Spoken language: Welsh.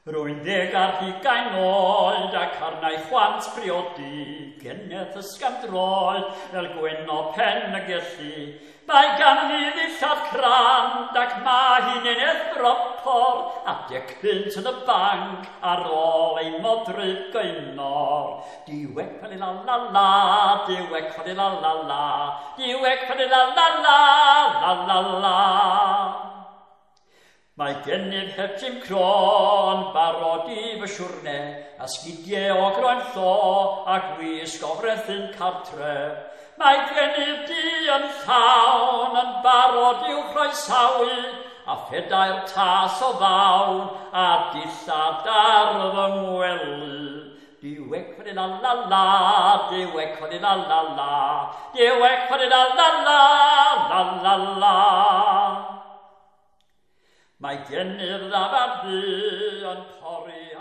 Rwy'n 20 oed ac arna'i chwant briodi, geneth ysgafn-droed fel Gwenno Pen y Gelli. Mae ganddi ddillad crand ac mae hi'n eneth bropor, a 10 bunt yn y banc ar ôl ei modryb Gaenor. Diwec fali la la la, diwec fali la la la, diwec fali la la la, la la la. Mae gennyf het Jim Crow yn barod i fy siwrne, a sgidiau o groen llo a gwisg o frethyn cartre. Mae gennyf dŷ yn llawn yn barod i'w chroesawu, a phedair tas o ddawn a dillad ar fy ngwely. Diwec fali la la la, diwec fali la la la, diwec fali la la la, la la la. Mae gennyf ddafad ddu yn pori